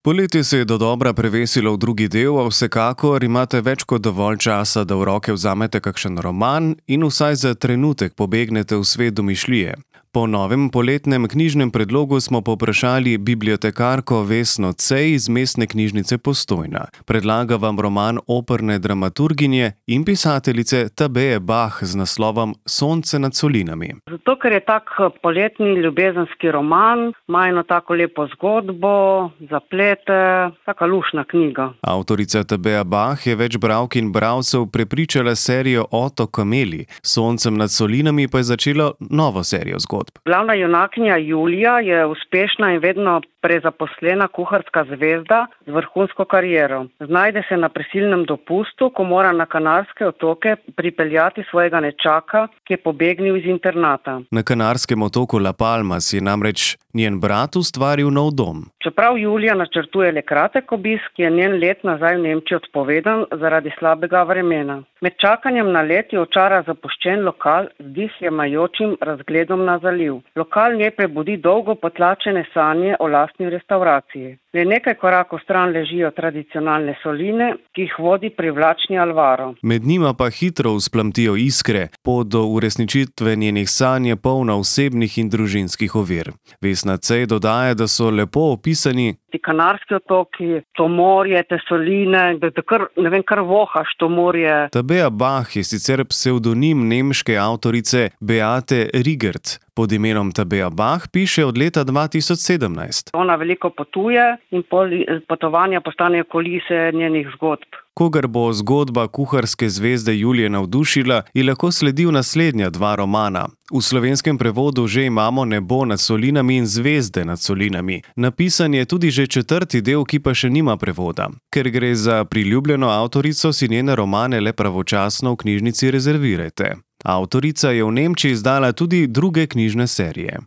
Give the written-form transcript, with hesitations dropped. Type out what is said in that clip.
Poletje se je dodobra prevesilo v drugi del, a vsekakor imate več kot dovolj časa, da v roke vzamete kakšen roman in vsaj za trenutek pobegnete v svet domišljije. Po novem poletnem knjižnem predlogu smo povprašali bibliotekarko Vesno Cej iz Mestne knjižnice Postojna. Predlaga vam roman operne dramaturginje in pisateljice Tabeje Bah z naslovom Sonce nad solinami. Zato, ker je tak poletni ljubezenski roman, ima eno tako lepo zgodbo, zaplete, taka lušna knjiga. Avtorica Tabeja Bah je več bralk in bralcev prepričala serijo Otok kameli, Soncem nad solinami pa je začela novo serijo zgodb. Glavna junakinja Julija je uspešna in vedno prezaposlena kuharska zvezda z vrhunsko kariero. Znajde se na prisilnem dopustu, ko mora na Kanarske otoke pripeljati svojega nečaka, ki je pobegnil iz internata. Na kanarskem otoku La Palmas je namreč njen brat ustvaril nov dom. Čeprav Julija načrtuje le kratek obisk, je njen let nazaj v Nemčijo odpovedan zaradi slabega vremena. Med čakanjem na let je očara zapuščen lokal z dihlemajočim razgledom na zaliv. Lokal nje prebudi dolgo potlačene sanje o lastni restavraciji. Le nekaj korakov stran ležijo tradicionalne soline, ki jih vodi privlačni Alvaro. Med njima pa hitro vzplamtijo iskre, pot do uresničitve njenih sanj je polna osebnih in družinskih ovir. Vesna Cej dodaja, da so lepo opisani ti Kanarski otoki, to morje, te soline, da kar vohaš to morje. Tabeja Bah je sicer psevdonim nemške avtorice Beate Rigert. Pod imenom Tabeja Bah piše od leta 2017. Ona veliko potuje in potovanja postanejo kulise njenih zgodb. Kogar bo zgodba kuharske zvezde Julije navdušila, ji lahko sledil naslednja dva romana. V slovenskem prevodu že imamo Nebo nad solinami in Zvezde nad solinami. Napisan je tudi že četrti del, ki pa še nima prevoda. Ker gre za priljubljeno avtorico, si njene romane le pravočasno v knjižnici rezervirajte. Avtorica je v Nemčiji izdala tudi druge knjižne serije.